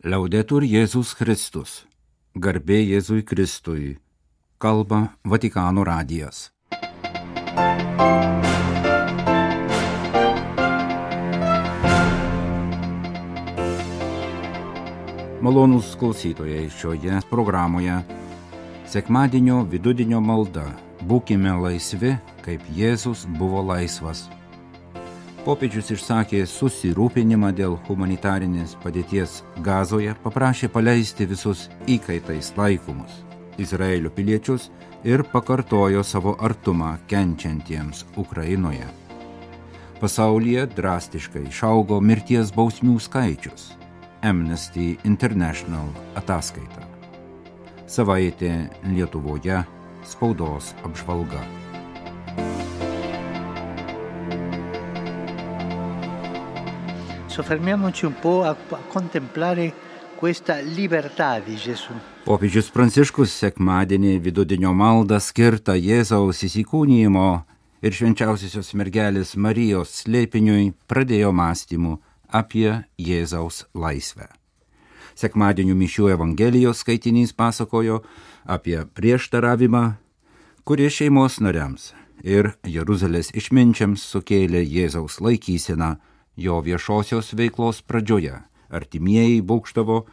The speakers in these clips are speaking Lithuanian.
Liaudetur Jėzus Kristus. Garbė Jėzui Kristui. Kalba Vatikano radijas. Malonūs klausytojai, šioje programoje sekmadienio vidudienio malda. Būkime laisvi, kaip Jėzus buvo laisvas. Popiežius išsakė susirūpinimą dėl humanitarinės padėties Gazoje, paprašė paleisti visus įkaitais laikomus Izraelio piliečius ir pakartojo savo artumą kenčiantiems Ukrainoje. Pasaulyje drastiškai išaugo mirties bausmių skaičius. Amnesty International ataskaita. Savaitė Lietuvoje, spaudos apžvalga. Soffermiamoci un po' a contemplare questa libertà di Gesù. Popiežius Pranciškus sekmadienį vidudienio maldą skirtą Jėzaus įsikūnijimo ir švenčiausiosios mergelės Marijos slėpiniui pradėjo mąstymų apie Jėzaus laisvę. Sekmadienio mišių Evangelijos skaitinys pasakojo apie prieštaravimą, kuris šeimos nariams ir Jeruzalės išminčiams sukėlė Jėzaus laikyseną jo viešosios veiklos pradžioje. Artimieji būgštavo,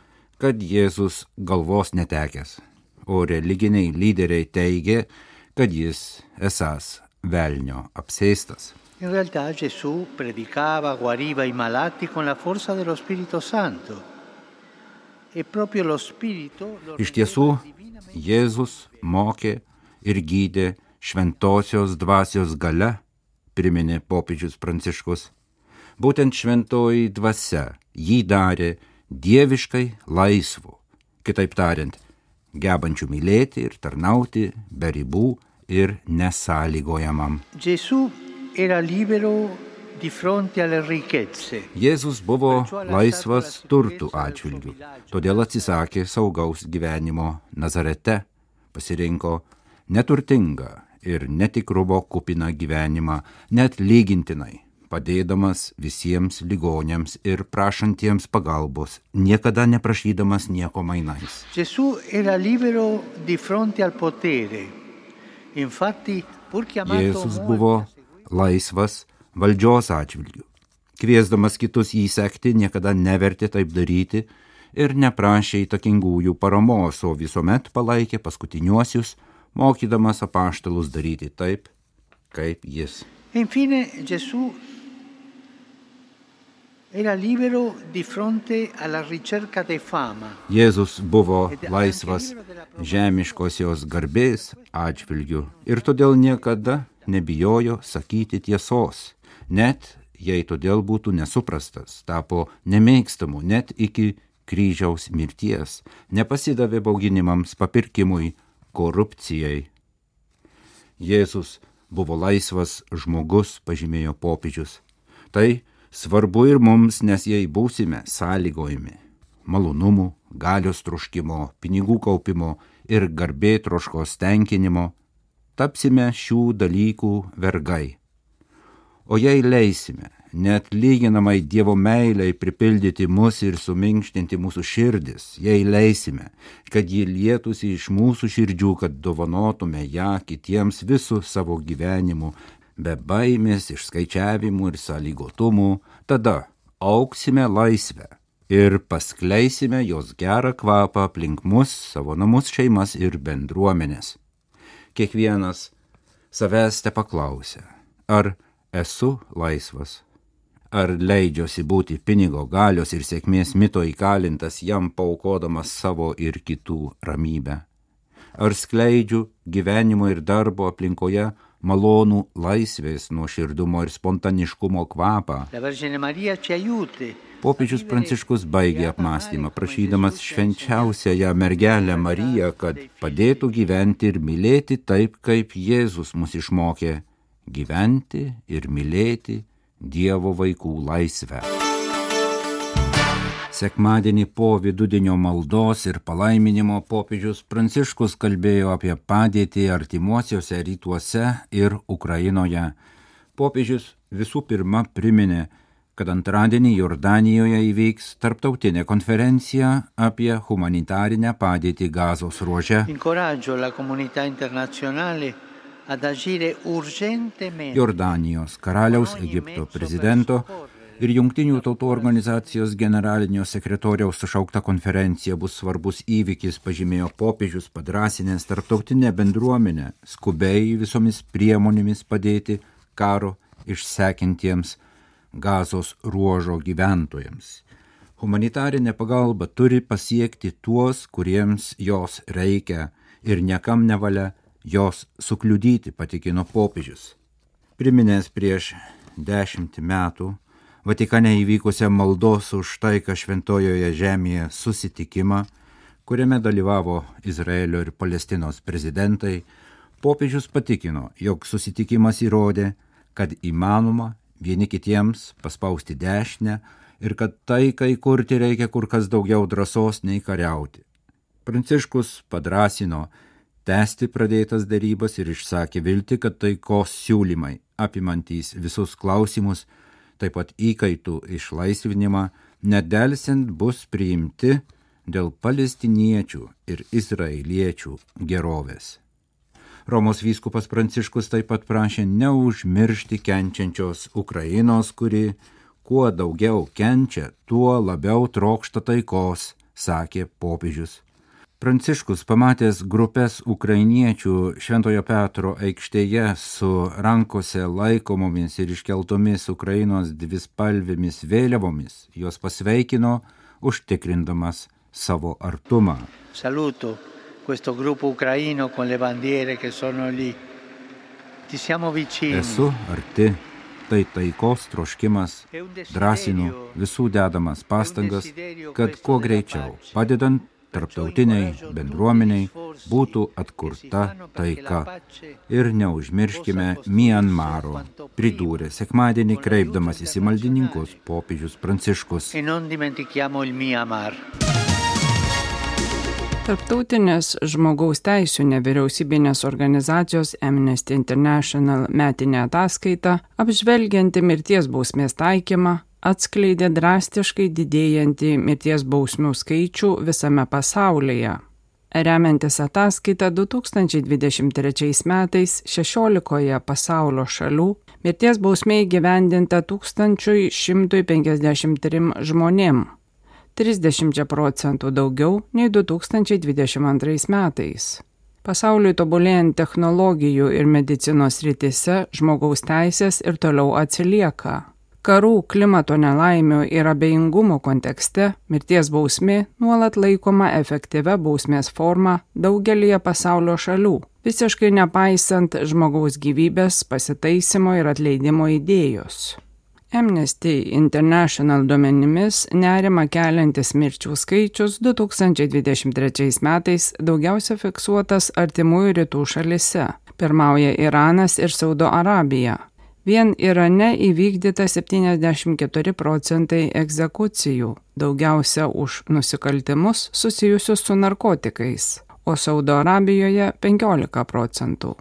kad Jėzus galvos netekęs, o religiniai lyderiai teigė, kad jis esąs velnio apsėstas. In realtà Gesù predicava, guariva i malati con la forza dello Spirito Santo. E proprio lo Spirito Iš tiesų, Jėzus mokė ir gydė šventosios dvasios galia, priminė popiežius Pranciškus. Būtent šventoji dvasia jį darė dieviškai laisvu, kitaip tariant, gebančių mylėti ir tarnauti be ribų ir nesąlygojamam. Gesù era libero di fronte alle ricchezze. Jėzus buvo laisvas turtų atžvilgių, todėl atsisakė saugaus gyvenimo Nazarete, pasirinko neturtingą ir netikrumo kupiną gyvenimą, net lygintinai, padėdamas visiems ligoniams ir prašantiems pagalbos, niekada neprašydamas nieko mainais. Gesù era libero di fronte al potere. Infatti, pur chiamato Jėzus buvo laisvas valdžios atžvilgių. Kviesdamas kitus jį sekti, niekada nevertė taip daryti ir neprašė įtakingųjų paramos, o visuomet palaikė paskutiniuosius, mokydamas apaštalus daryti taip, kaip jis. Infine, Gesù era libero di fronte alla ricerca di fama. Jėzus buvo laisvas žemiškosios garbės atžvilgių ir todėl niekada nebijojo sakyti tiesos, net jei todėl būtų nesuprastas, tapo nemėgstamu net iki kryžiaus mirties, nepasidavė bauginimams, papirkimui, korupcijai. Jėzus buvo laisvas žmogus, pažymėjo popiežius. Tai svarbu ir mums, nes jei būsime sąlygojami malonumų, galios troškimo, pinigų kaupimo ir garbėtroškos tenkinimo, tapsime šių dalykų vergai. O jei leisime net lyginamai Dievo meilei pripildyti mus ir suminkštinti mūsų širdis, jei leisime, kad ji lietųsi iš mūsų širdžių, kad dovanotume ją kitiems visų savo gyvenimu, be baimės, išskaičiavimų ir sąlygotumų, tada auksime laisvę ir paskleisime jos gerą kvapą aplink mus, savo namus, šeimas ir bendruomenės. Kiekvienas savęs tepaklausia, ar esu laisvas, ar leidžiuosi būti pinigo, galios ir sėkmės mito įkalintas, jam paaukodamas savo ir kitų ramybę, ar skleidžiu gyvenimo ir darbo aplinkoje malonų laisvės, nuoširdumo ir spontaniškumo kvapą. Popiežius Pranciškus baigė apmąstymą, prašydamas švenčiausiąją mergelę Mariją, kad padėtų gyventi ir mylėti taip, kaip Jėzus mus išmokė gyventi ir mylėti Dievo vaikų laisvę. Sekmadienį po vidudienio maldos ir palaiminimo popiežius Pranciškus kalbėjo apie padėtį artimuosiuose rytuose ir Ukrainoje. Popiežius visų pirma priminė, kad antradienį Jordanijoje įvyks tarptautinė konferencija apie humanitarinę padėtį Gazos ruože. Jordanijos karaliaus, Egipto prezidento ir Jungtinių tautų organizacijos generalinio sekretoriaus sušaukta konferencija bus svarbus įvykis, pažymėjo popiežius, padrąsinęs tarptautinę bendruomenę skubiai visomis priemonėmis padėti karo išsekintiems Gazos ruožo gyventojams. Humanitarinė pagalba turi pasiekti tuos, kuriems jos reikia ir niekam nevalia jos sukliudyti, patikino popiežius. Priminęs prieš 10 metų Vatikane įvykusią maldos už taiką Šventojoje žemėje susitikimą, kuriame dalyvavo Izraelio ir Palestinos prezidentai, popiežius patikino, jog susitikimas įrodė, kad įmanoma vieni kitiems paspausti dešinę ir kad taikai kurti reikia kur kas daugiau drąsos nei kariauti. Pranciškus padrąsino tęsti pradėtas derybas ir išsakė viltį, kad taikos siūlymai, apimantys visus klausimus, taip pat įkaitų išlaisvinimą, nedelsiant bus priimti dėl palestiniečių ir izraeliečių gerovės. Romos vyskupas Pranciškus taip pat prašė neužmiršti kenčiančios Ukrainos, kuri kuo daugiau kenčia, tuo labiau trokšta taikos, sakė popiežius. Pranciškus, pamatęs grupės ukrainiečių Šventojo Petro aikštėje su rankose laikomomis ir iškeltomis Ukrainos dvispalvėmis vėliavomis, juos pasveikino, užtikrindamas savo artumą. Saluto questo gruppo ucraino con le bandiere che sono lì. Ti siamo vicini. Esu arti, tai taikos troškimas, drąsinu visų dedamas pastangas, kad kuo greičiau, padedant tarptautiniai bendruomeniai, būtų atkurta taika. Ir neužmirškime Mianmaro, pridūrė sekmadienį kreipdamasis į maldininkus popiežius Pranciškus. Tarptautinės žmogaus teisių nevyriausybinės organizacijos Amnesty International metinė ataskaita, apžvelgianti mirties bausmės taikymą, atskleidė drastiškai didėjantį mirties bausmių skaičių visame pasaulyje. Remiantis ataskaita 2023 metais 16 pasaulio šalių mirties bausmė įgyvendinta 1153 žmonėm, 30% daugiau nei 2022 metais. Pasauliui tobulėjant technologijų ir medicinos srityse žmogaus teisės ir toliau atsilieka. Karų, klimato nelaimių ir abejingumo kontekste mirties bausmė nuolat laikoma efektyvia bausmės forma daugelyje pasaulio šalių, visiškai nepaisant žmogaus gyvybės pasitaisymo ir atleidimo idėjos. Amnesty International duomenimis nerimą keliantis mirčių skaičius 2023 metais daugiausia fiksuotas artimųjų rytų šalyse. Pirmauja Iranas ir Saudo Arabija. Vien Irane įvykdyta 74% egzekucijų, daugiausia už nusikaltimus susijusius su narkotikais, o Saudo Arabijoje 15%.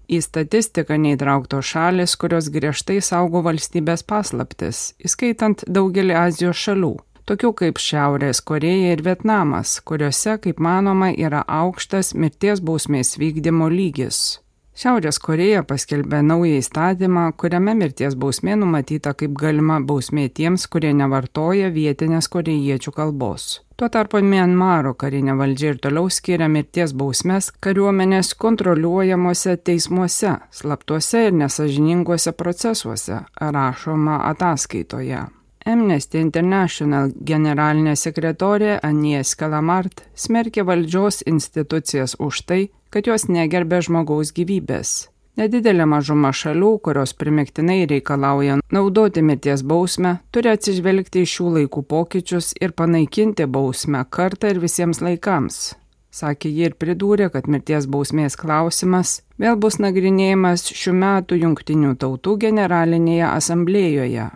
Į statistiką neįtrauktos šalis, kurios griežtai saugo valstybės paslaptis, įskaitant daugelį Azijos šalių, tokių kaip Šiaurės Korėja ir Vietnamas, kuriuose, kaip manoma, yra aukštas mirties bausmės vykdymo lygis. Šiaurės Korėja paskelbė naują įstatymą, kuriame mirties bausmė numatyta kaip galima bausmė tiems, kurie nevartoja vietinės korėjiečių kalbos. Tuo tarpu Mianmaro karinė valdžia ir toliau skiria mirties bausmes kariuomenės kontroliuojamuose teismuose, slaptuose ir nesažininguose procesuose, rašoma ataskaitoje. Amnesty International generalinė sekretorė Agnès Calamard smerkė valdžios institucijas už tai, kad jos negerbė žmogaus gyvybės. Nedidelė mažuma šalių, kurios primiktinai reikalauja naudoti mirties bausmę, turi atsižvelgti į šių laikų pokyčius ir panaikinti bausmę kartą ir visiems laikams. Sakė ji ir pridūrė, kad mirties bausmės klausimas vėl bus nagrinėjimas šių metų Jungtinių tautų generalinėje asamblėjoje.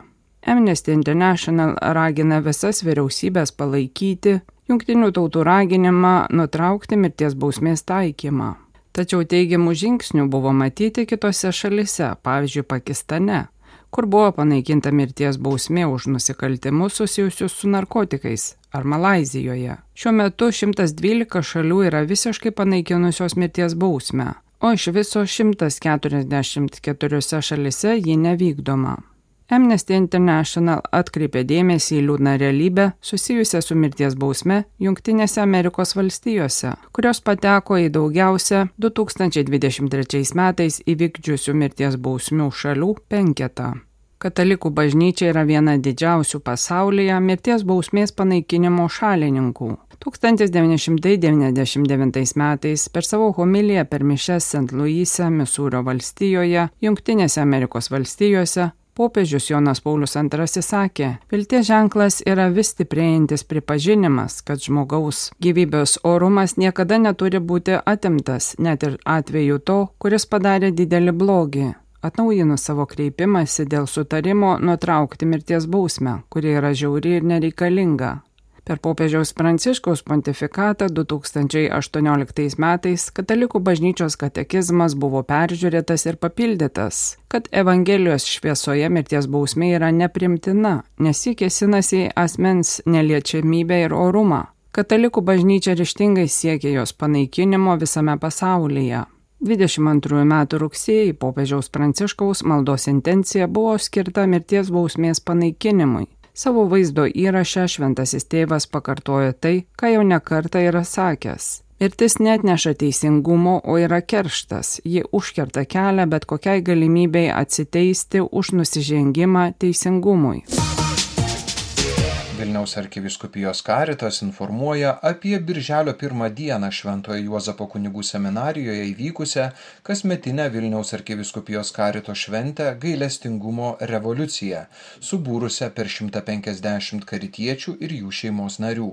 Amnesty International ragina visas vyriausybės palaikyti Jungtinių tautų raginimą nutraukti mirties bausmės taikymą. Tačiau teigiamų žingsnių buvo matyti kitose šalise, pavyzdžiui Pakistane, kur buvo panaikinta mirties bausmė už nusikaltimus susijusius su narkotikais, ar Malaizijoje. Šiuo metu 112 šalių yra visiškai panaikinusios mirties bausmę, o iš viso 144 šalise ji nevykdoma. Amnesty International atkreipė dėmesį į liūdną realybę susijusią su mirties bausme Jungtinėse Amerikos valstijose, kurios pateko į daugiausia 2023 metais įvykdžiusių mirties bausmių šalių penketą. Katalikų bažnyčia yra viena didžiausių pasaulyje mirties bausmės panaikinimo šalininkų. 1999 metais per savo homiliją per mišias St. Louise, Misūrio valstijoje, Jungtinėse Amerikos valstijose, popiežius Jonas Paulius II sakė, vilties ženklas yra vis stiprėjantis pripažinimas, kad žmogaus gyvybės orumas niekada neturi būti atimtas, net ir atveju to, kuris padarė didelį blogį. Atnaujinus savo kreipimąsi dėl sutarimo nutraukti mirties bausmę, kuri yra žiauri ir nereikalinga. Per popiežiaus Pranciškaus pontifikatą 2018 metais Katalikų bažnyčios katekizmas buvo peržiūrėtas ir papildytas, kad Evangelijos šviesoje mirties bausmė yra neprimtina, nes ji kėsinasi į asmens neliečiamybę ir orumą. Katalikų bažnyčia ryžtingai siekia jos panaikinimo visame pasaulyje. 22 metų rugsėjį popiežiaus Pranciškaus maldos intencija buvo skirta mirties bausmės panaikinimui. Savo vaizdo įraše šventasis tėvas pakartojo tai, ką jau nekartą yra sakęs. Mirtis neatneša teisingumo, o yra kerštas. Ji užkerta kelią bet kokiai galimybei atsiteisti už nusižengimą teisingumui. Vilniaus arkivyskupijos Karitas informuoja apie birželio 1 dieną Šventojo Juozapo kunigų seminarijoje įvykusią kasmetinę Vilniaus arkivyskupijos Karito šventę Gailestingumo revoliuciją, subūrusią per 150 karitiečių ir jų šeimos narių.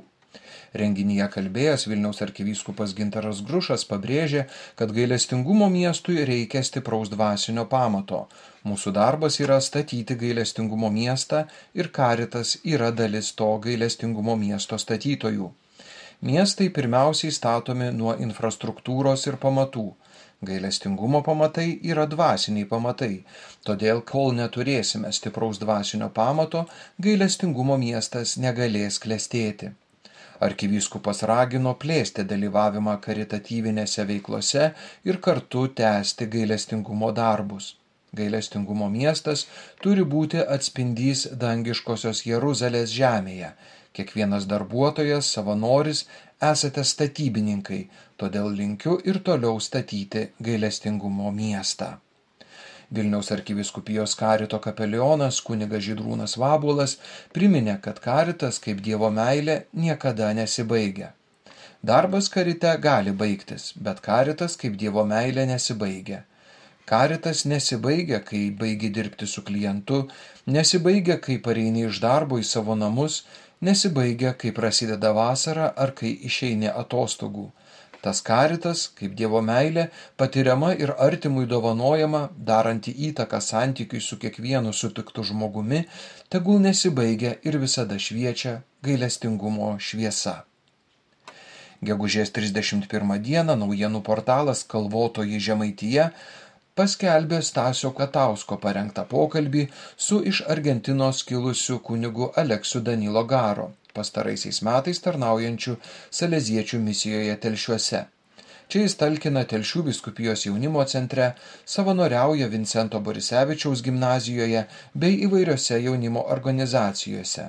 Renginyje kalbėjęs Vilniaus arkivyskupas Gintaras Grušas pabrėžė, kad gailestingumo miestui reikia stipraus dvasinio pamato. Mūsų darbas yra statyti gailestingumo miestą ir Karitas yra dalis to gailestingumo miesto statytojų. Miestai pirmiausiai statomi nuo infrastruktūros ir pamatų. Gailestingumo pamatai yra dvasiniai pamatai, todėl kol neturėsime stipraus dvasinio pamato, gailestingumo miestas negalės klestėti. Arkivyskupas ragino plėsti dalyvavimą karitatyvinėse veiklose ir kartu tęsti gailestingumo darbus. Gailestingumo miestas turi būti atspindys dangiškosios Jeruzalės žemėje. Kiekvienas darbuotojas, savanoris, esate statybininkai, todėl linkiu ir toliau statyti gailestingumo miestą. Vilniaus arkivyskupijos Karito kapelionas kunigas Žydrūnas Vabuolas priminė, kad Karitas kaip Dievo meilė niekada nesibaigia. Darbas Karite gali baigtis, bet Karitas kaip Dievo meilė nesibaigia. Karitas nesibaigia, kai baigi dirbti su klientu, nesibaigia, kai pareini iš darbo į savo namus, nesibaigia, kai prasideda vasara ar kai išeini atostogų. Tas Karitas, kaip Dievo meilė, patiriama ir artimui dovanojama, daranti įtaką santykiui su kiekvienu sutiktu žmogumi, tegul nesibaigia ir visada šviečia gailestingumo šviesa. Gegužės 31 dieną naujienų portalas Kalvotoji Žemaitija paskelbė Stasio Katausko parengtą pokalbį su iš Argentinos kilusiu kunigu Aleksiu Danilo Garo, pastaraisiais metais tarnaujančių saleziečių misijoje Telšiuose. Čia jis talkina Telšių vyskupijos jaunimo centre, savanoriauja Vincento Borisevičiaus gimnazijoje bei įvairiose jaunimo organizacijose,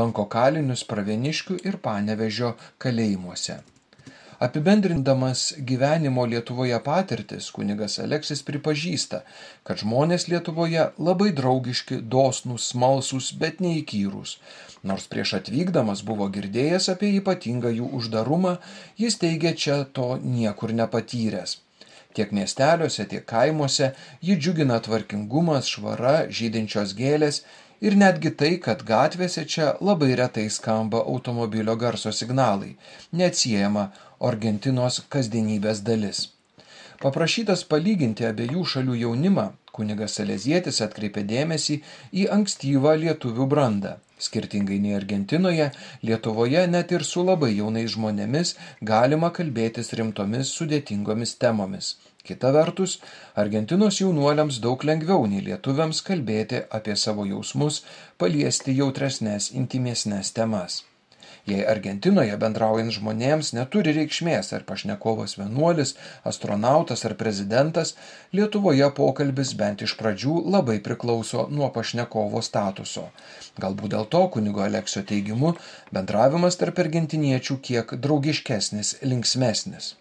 lanko kalinius Pravieniškių ir Panevėžio kalėjimuose. Apibendrindamas gyvenimo Lietuvoje patirtis, kunigas Aleksis pripažįsta, kad žmonės Lietuvoje labai draugiški, dosnūs, smalsūs, bet neįkyrūs. Nors prieš atvykdamas buvo girdėjęs apie ypatingą jų uždarumą, jis teigia čia to niekur nepatyręs. Tiek miesteliuose, tiek kaimuose jį džiugina tvarkingumas, švara, žydinčios gėlės ir netgi tai, kad gatvėse čia labai retai skamba automobilio garso signalai, neatsiejama Argentinos kasdienybės dalis. Paprašytas palyginti abiejų šalių jaunimą, kunigas salezietis atkreipė dėmesį į ankstyvą lietuvių brandą. Skirtingai nei Argentinoje, Lietuvoje net ir su labai jaunais žmonėmis galima kalbėtis rimtomis sudėtingomis temomis. Kita vertus, Argentinos jaunuoliams daug lengviau nei lietuviams kalbėti apie savo jausmus, paliesti jautresnės, intimesnės temas. Jei Argentinoje bendraujant žmonėms neturi reikšmės ar pašnekovas vienuolis, astronautas ar prezidentas, Lietuvoje pokalbis bent iš pradžių labai priklauso nuo pašnekovo statuso. Galbūt dėl to kunigo Aleksio teigimu bendravimas tarp argentiniečių kiek draugiškesnis, linksmesnis.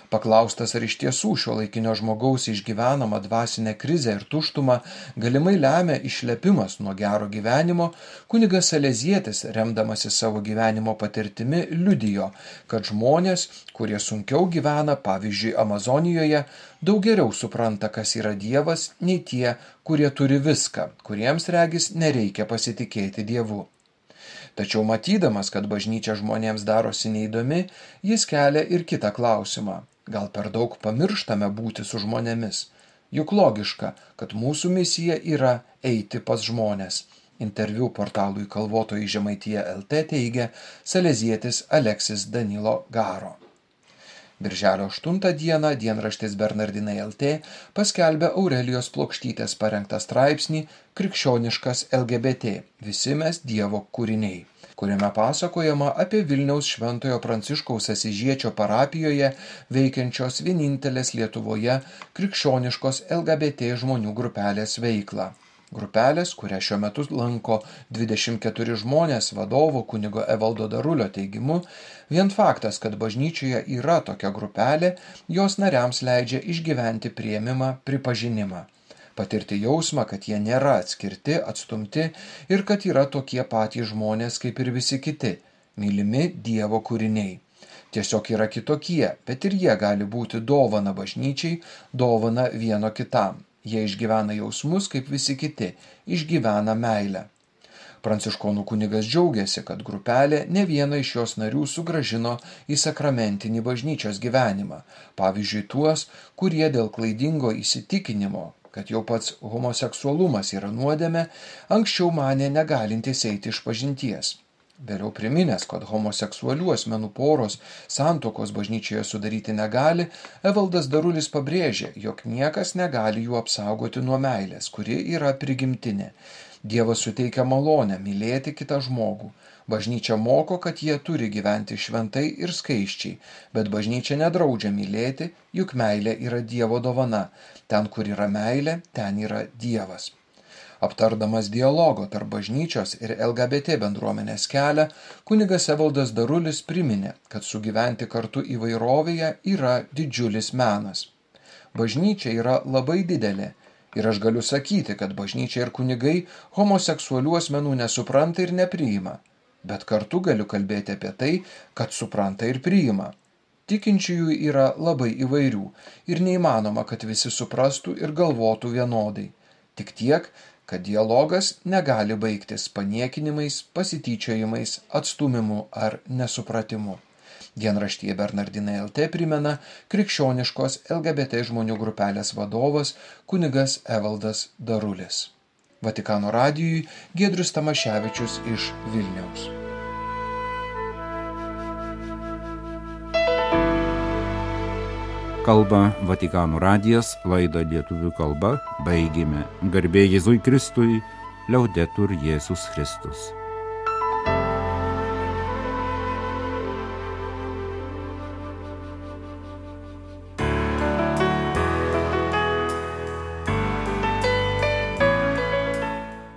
Paklaustas, ar iš tiesų šiuolaikinio žmogaus išgyvenama dvasinė krizė ir tuštuma galimai lemia išlepimas nuo gero gyvenimo, kunigas Salezietis, remdamasis savo gyvenimo patirtimi, liudijo, kad žmonės, kurie sunkiau gyvena, pavyzdžiui, Amazonijoje, daug geriau supranta, kas yra Dievas, nei tie, kurie turi viską, kuriems regis nereikia pasitikėti Dievu. Tačiau matydamas, kad bažnyčia žmonėms darosi neįdomi, jis kelia ir kitą klausimą. Gal per daug pamirštame būti su žmonėmis? Juk logiška, kad mūsų misija yra eiti pas žmonės. Interviu portalui Kalvotojai Žemaitija LT teigia salezietis Aleksis Danilo Garo. Birželio 8 dieną dienraštis Bernardinai LT paskelbė Aurelijos Plokštytės parengtą straipsnį Krikščioniškas LGBT – visi mes Dievo kūriniai, kuriame pasakojama apie Vilniaus Šventojo Pranciškaus Asyžiečio parapijoje veikiančios vienintelės Lietuvoje krikščioniškos LGBT žmonių grupelės veiklą. Grupelės, kurią šiuo metu lanko 24 žmonės vadovo kunigo Evaldo Darulio teigimu, vien faktas, kad bažnyčioje yra tokia grupelė, jos nariams leidžia išgyventi priėmimą, pripažinimą. Patirti jausmą, kad jie nėra atskirti, atstumti ir kad yra tokie patys žmonės kaip ir visi kiti, mylimi Dievo kūriniai. Tiesiog yra kitokie, bet ir jie gali būti dovana bažnyčiai, dovana vieno kitam. Jie išgyvena jausmus kaip visi kiti, išgyvena meilę. Pranciškonų kunigas džiaugiasi, kad grupelė ne vieną iš jos narių sugrąžino į sakramentinį bažnyčios gyvenimą, pavyzdžiui tuos, kurie dėl klaidingo įsitikinimo, kad jau pats homoseksualumas yra nuodėmė, anksčiau manė negalintys eiti išpažinties. Vėliau priminęs, kad homoseksualių asmenų poros santuokos bažnyčioje sudaryti negali, Evaldas Darulis pabrėžė, jog niekas negali jų apsaugoti nuo meilės, kuri yra prigimtinė. Dievas suteikia malonę mylėti kitą žmogų. Bažnyčia moko, kad jie turi gyventi šventai ir skaisčiai, bet bažnyčia nedraudžia mylėti, juk meilė yra Dievo dovana. Ten, kur yra meilė, ten yra Dievas. Aptardamas dialogo tarp bažnyčios ir LGBT bendruomenės kelią, kunigas Evaldas Darulis priminė, kad sugyventi kartu įvairovėje yra didžiulis menas. Bažnyčia yra labai didelė ir aš galiu sakyti, kad bažnyčia ir kunigai homoseksualių asmenų nesupranta ir nepriima, bet kartu galiu kalbėti apie tai, kad supranta ir priima. Tikinčiųjų yra labai įvairių ir neįmanoma, kad visi suprastų ir galvotų vienodai. Tik tiek, kad dialogas negali baigtis paniekinimais, pasityčiojimais, atstumimu ar nesupratimu. Dienraštyje Bernardinai LT primena krikščioniškos LGBT žmonių grupelės vadovas kunigas Evaldas Darulis. Vatikano radijui Giedrius Tamaševičius iš Vilniaus. Kalba Vatikano radijas, laidą lietuvių kalba baigėme. Garbė Jėzui Kristui, Liaudetur Jėzus Kristus.